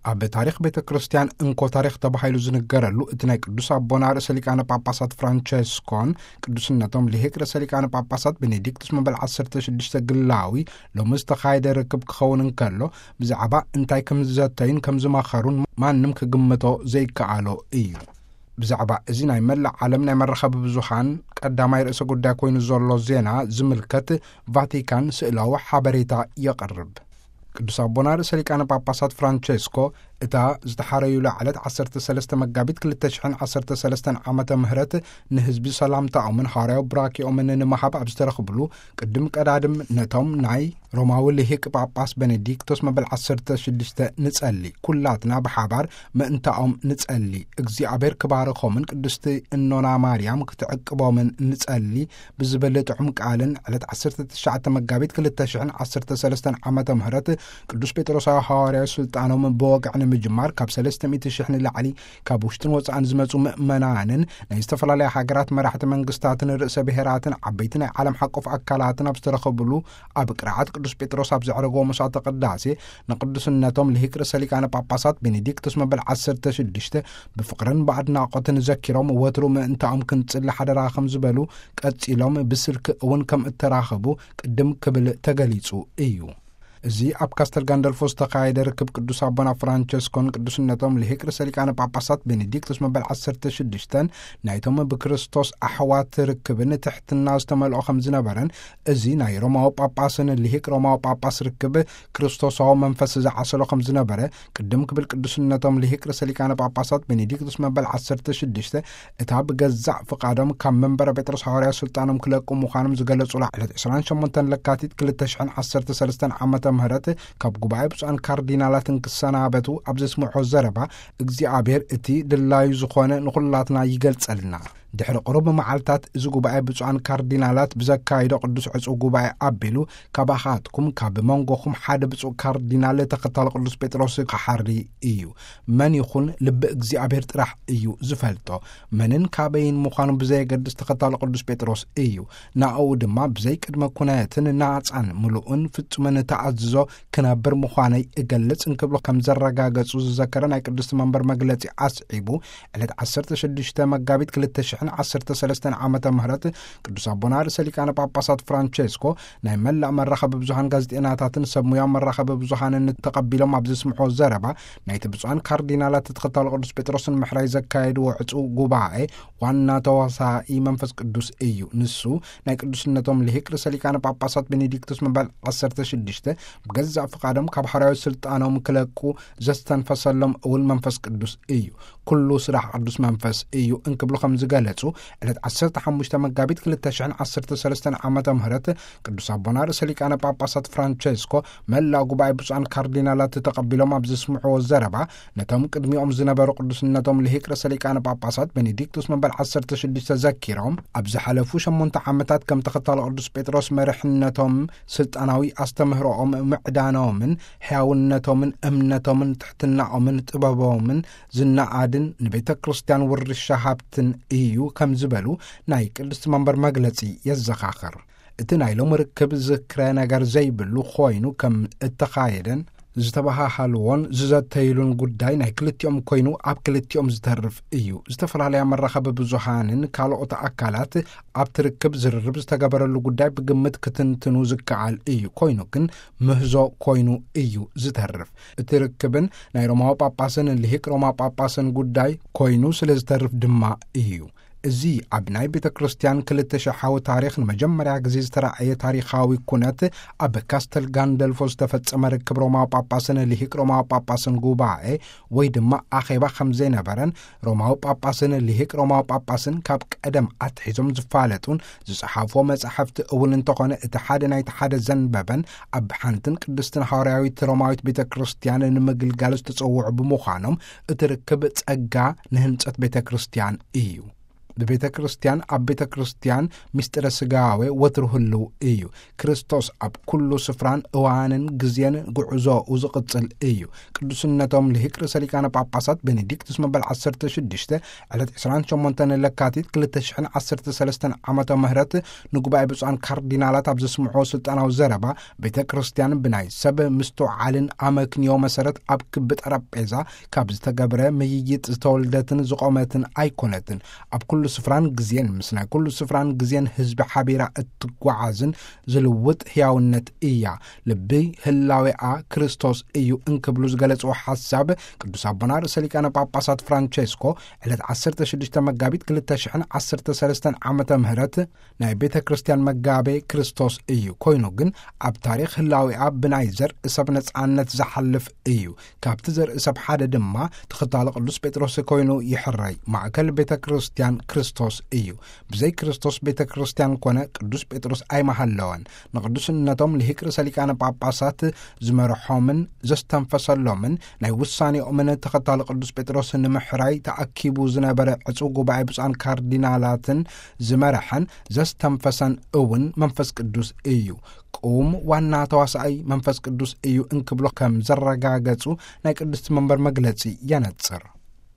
ኣብ ታሪኽ ቤተ ክርስቲያን እንኮ ታሪኽ ተባሂሉ ዝንገረሉ፣ እቲ ናይ ቅዱስ ኣቦና ርእሰ ሊቃነ ጳጳሳት ፍራንቸስኮን ቅዱስነቶም ልሂቅ ርእሰ ሊቃነ ጳጳሳት ቤኔዲክቱስ መበል ዓሰርተ ሽዱሽተ ግላዊ ሎሚ ዝተኻየደ ርክብ ክኸውን እንከሎ፣ ብዛዕባ እንታይ ከም ዝዘተዩን ከም ዝመኸሩን ማንም ክግምቶ ዘይከኣሎ እዩ። ብዛዕባ እዚ ናይ መላእ ዓለም ናይ መራኸቢ ብዙሃን ቀዳማይ ርእሰ ጉዳይ ኮይኑ ዘሎ ዜና ዝምልከት፣ ቫቲካን ስእላዊ ሓበሬታ የቕርብ። ቅዱስ ኣቦና ርእሰ ሊቃነ ጳጳሳት ፍራንቸስኮ፣ እታ ዝተሓረዩላ ዕለት ዓሰርተ ሰለስተ መጋቢት ክልተ ሽሕን ዓሰርተ ሰለስተን ዓመተ ምህረት፣ ንህዝቢ ሰላምታኦምን ሃዋርያዊ ብራኪኦምን ንምሃብ ኣብ ዝተረኽብሉ፣ ቅድም ቀዳድም ነቶም ናይ ሮማዊ ልሂቅ ጳጳስ ቤኔዲክቶስ መበል ዓሰርተ ሽዱሽተ ንጸሊ፣ ኩላትና ብሓባር ምእንታኦም ንጸሊ፣ እግዚኣብሔር ክባርኾምን ቅድስቲ እኖና ማርያም ክትዕቅቦምን ንጸሊ ብዝብል ጥዑም ቃልን፣ ዕለት ዓሰርተ ትሽዓተ መጋቢት ክልተ ሽሕን ዓሰርተ ሰለስተን ዓመተ ምህረት ቅዱስ ጴጥሮሳዊ ሃዋርያዊ ስልጣኖም ብወግዒ ንምጅማር፣ ካብ ሰለስተ ሚእቲ ሽሕ ንላዕሊ ካብ ውሽጥን ወጻእን ዝመጹ ምእመናንን ናይ ዝተፈላለያ ሃገራት መራሕቲ መንግስታትን ርእሰ ብሔራትን ዓበይቲ ናይ ዓለም ሓቆፍ ኣካላትን ኣብ ዝተረኸብሉ፣ ኣብ ቅርዓት ቅዱስ ጴጥሮስ ኣብ ዘዕረግዎ መስዋዕተ ቅዳሴ፣ ንቅዱስነቶም ልሂቅ ርእሰ ሊቃነ ጳጳሳት ቤኔዲክቱስ መበል ዓሰርተ ሽዱሽተ ብፍቕርን ብኣድናቖትን ዘኪሮም፣ ወትሩ ምእንታኦም ክንጽሊ ሓደራ ከም ዝበሉ፣ ቀጺሎም ብስልኪ እውን ከም እተራኸቡ ቅድም ክብል ተገሊጹ እዩ። እዚ ኣብ ካስተል ጋንደልፎ ዝተኻየደ ርክብ ቅዱስ ኣቦና ፍራንቸስኮን ቅዱስነቶም ልሂቅ ርእሰ ሊቃነ ጳጳሳት ቤኔዲክቱስ መበል ዓሰርተ ሽዱሽተን ናይቶም ብክርስቶስ ኣሕዋት ርክብን ትሕትና ዝተመልኦ ከም ዝነበረን፣ እዚ ናይ ሮማዊ ጳጳስን ልሂቅ ሮማዊ ጳጳስ ርክብ ክርስቶሳዊ መንፈስ ዝዓሰሎ ከም ዝነበረ ቅድም ክብል ቅዱስነቶም ልሂቅ ርእሰ ሊቃነ ጳጳሳት ቤኔዲክቱስ መበል ዓሰርተ ሽዱሽተ እታ ብገዛእ ፍቓዶም ካብ መንበረ ጴጥሮስ ሃዋርያዊ ስልጣኖም ክለቁ ምዃኖም ዝገለጹላ ዕለት ዕስራን ሸሞንተን ለካቲት ክልተ ሽሕን ዓሰርተ ሰለስተን ዓመተ ምህረት ካብ ጉባኤ ብፁዓን ካርዲናላትን ክሰናበቱ ኣብ ዘስምዖ ዘረባ፣ እግዚኣብሔር እቲ ድላዩ ዝኾነ ንኹላትና ይገልጸልና። ድሕሪ ቁሩብ መዓልታት እዚ ጉባኤ ብፁዓን ካርዲናላት ብዘካይዶ ቅዱስ ዕጹው ጉባኤ ኣቢሉ፣ ካባኻትኩም ካብ መንጎኹም ሓደ ብፁዕ ካርዲናል ተኸታሊ ቅዱስ ጴጥሮስ ክሓሪ እዩ። መን ይኹን ልቢ እግዚኣብሔር ጥራሕ እዩ ዝፈልጦ። መንን ካበይን ምዃኑ ብዘየገድስ ተኸታሊ ቅዱስ ጴጥሮስ እዩ። ናኡ ድማ ብዘይ ቅድመ ኩነትን ናጻን ምሉእን ፍጹምን ተኣዝዞ ክነብር ምዃነይ እገልጽ እንክብሉ ከም ዘረጋገጹ ዝዘከረ ናይ ቅድስቲ መንበር መግለጺ ኣስዒቡ፣ ዕለት ዓሰርተ ሽዱሽተ መጋቢት ክልተ ሽሕን ዓሰርተ ሰለስተን ዓመተ ምህረት ቅዱስ ኣቦና ርእሰ ሊቃነ ጳጳሳት ፍራንቸስኮ ናይ መላእ መራኸቢ ብዙሃን ጋዜጠኛታትን ሰብ ሙያ መራኸቢ ብዙሃንን ተቐቢሎም ኣብ ዘስምዖ ዘረባ፣ ናይቲ ብፁዓን ካርዲናላት ተኸታሊ ቅዱስ ጴጥሮስን ምሕራይ ዘካየድዎ ዕጹው ጉባኤ ዋና ተዋሳኢ መንፈስ ቅዱስ እዩ። ንሱ ናይ ቅዱስነቶም ልሂቅ ርእሰ ሊቃነ ጳጳሳት ቤኔዲክቱስ መበል ዓሰርተ ሽዱሽተ ብገዛእ ፍቓዶም ካብ ሓዋርያዊ ስልጣኖም ክለቁ ዘስተንፈሰሎም እውን መንፈስ ቅዱስ እዩ። ኩሉ ስራሕ ቅዱስ መንፈስ እዩ እንክብሉ ከም ዝገለጹ፣ ዕለት ዓሰርተ ሓሙሽተ መጋቢት ክልተ ሽሕን ዓሰርተ ሰለስተን ዓመተ ምህረት ቅዱስ ኣቦና ርእሰ ሊቃነ ጳጳሳት ፍራንቸስኮ መላእ ጉባኤ ብፁዓን ካርዲናላት ተቐቢሎም ኣብ ዘስምዕዎ ዘረባ፣ ነቶም ቅድሚኦም ዝነበሩ ቅዱስነቶም ልሂቅ ርእሰ ሊቃነ ጳጳሳት ቤኔዲክቱስ መበል ዓሰርተ ሽዱሽተ ዘኪሮም፣ ኣብ ዝሓለፉ ሸሞንተ ዓመታት ከም ተኸታሊ ቅዱስ ጴጥሮስ መሪሕነቶም፣ ስልጣናዊ ኣስተምህሮኦም፣ ምዕዳኖምን ሕያውነቶምን፣ እምነቶምን፣ ትሕትናኦምን፣ ጥበቦምን ዝነኣድን ንቤተ ክርስቲያን ውርሻ ሃብትን እዩ ከም ዝበሉ ናይ ቅድስቲ መንበር መግለጺ የዘኻኽር። እቲ ናይ ሎሚ ርክብ ዝክረ ነገር ዘይብሉ ኮይኑ ከም እተኻየደን ዝተበሃሃልዎን ዝዘተይሉን ጉዳይ ናይ ክልቲኦም ኮይኑ ኣብ ክልቲኦም ዝተርፍ እዩ። ዝተፈላለያ መራኸቢ ብዙሃንን ካልኦት ኣካላት ኣብቲ ርክብ ዝርርብ ዝተገበረሉ ጉዳይ ብግምት ክትንትኑ ዝከኣል እዩ። ኮይኑ ግን ምህዞ ኮይኑ እዩ ዝተርፍ። እቲ ርክብን ናይ ሮማዊ ጳጳስን ልሂቅ ሮማ ጳጳስን ጉዳይ ኮይኑ ስለ ዝተርፍ ድማ እዩ። እዚ ኣብ ናይ ቤተ ክርስቲያን ክልተ ሽሓዊ ታሪኽ ንመጀመርያ ግዜ ዝተራእየ ታሪኻዊ ኩነት፣ ኣብ ካስተል ጋንደልፎ ዝተፈጸመ ርክብ ሮማዊ ጳጳስን ልሂቅ ሮማዊ ጳጳስን ጉባኤ ወይ ድማ ኣኼባ ከም ዘይነበረን፣ ሮማዊ ጳጳስን ልሂቅ ሮማዊ ጳጳስን ካብ ቀደም ኣትሒዞም ዝፋለጡን ዝጸሓፍዎ መጻሕፍቲ እውን እንተኾነ፣ እቲ ሓደ ናይቲ ሓደ ዘንበበን ኣብ ሓንትን ቅድስትን ሃዋርያዊት ሮማዊት ቤተ ክርስቲያን ንምግልጋል ዝተጸውዑ ብምዃኖም፣ እቲ ርክብ ጸጋ ንህንጸት ቤተ ክርስቲያን እዩ። ብቤተ ክርስቲያን ኣብ ቤተ ክርስቲያን ምስጢረ ስጋዌ ወትሩ ህልው እዩ። ክርስቶስ ኣብ ኩሉ ስፍራን እዋንን ግዜን ጉዕዞኡ ዝቕጽል እዩ። ቅዱስነቶም ልሂቅ ርእሰ ሊቃነ ጳጳሳት ቤኔዲክቱስ መበል ዓሰርተ ሽዱሽተ ዕለት ዕስራን ሸሞንተን ለካቲት ክልተ ሽሕን ዓሰርተ ሰለስተን ዓመተ ምህረት ንጉባኤ ብፁዓን ካርዲናላት ኣብ ዘስምዖ ስልጣናዊ ዘረባ፣ ቤተ ክርስቲያን ብናይ ሰብ ምስትውዓልን ኣመክንዮ መሰረት ኣብ ክቢ ጠረጴዛ ካብ ዝተገብረ ምይይጥ ዝተወልደትን ዝቖመትን ኣይኮነትን። ኣብ ኩሉ ስፍራን ግዜን ምስ ናይ ኩሉ ስፍራን ግዜን ህዝቢ ሓቢራ እትጓዓዝን ዝልውጥ ህያውነት እያ። ልቢ ህላዌኣ ክርስቶስ እዩ እንክብሉ ዝገለጽዎ ሓሳብ ቅዱስ ኣቦና ርእሰ ሊቃነ ጳጳሳት ፍራንቸስኮ ዕለት ዓሰርተ ሽዱሽተ መጋቢት ክልተ ሽሕን ዓሰርተ ሰለስተን ዓመተ ምህረት ናይ ቤተ ክርስቲያን መጋቤ ክርስቶስ እዩ። ኮይኑ ግን ኣብ ታሪኽ ህላዊኣ ብናይ ዘርኢ ሰብ ነጻነት ዝሓልፍ እዩ። ካብቲ ዘርኢ ሰብ ሓደ ድማ ተኸታሊ ቅዱስ ጴጥሮስ ኮይኑ ይሕረይ። ማእከል ቤተ ክርስቲያን ክርስቶስ እዩ። ብዘይ ክርስቶስ ቤተ ክርስቲያን ኮነ ቅዱስ ጴጥሮስ ኣይመሃለወን። ንቅዱስነቶም ልሂቅ ርእሰ ሊቃነ ጳጳሳት ዝመርሖምን ዘስተንፈሰሎምን ናይ ውሳኔኦምን ተኸታሊ ቅዱስ ጴጥሮስ ንምሕራይ ተኣኪቡ ዝነበረ ዕጹው ጉባኤ ብፁዓን ካርዲናላትን ዝመርሐን ዘስተንፈሰን እውን መንፈስ ቅዱስ እዩ። ቁም ዋና ተዋሳኣይ መንፈስ ቅዱስ እዩ እንክብሎ ከም ዘረጋገጹ ናይ ቅድስቲ መንበር መግለጺ የነጽር።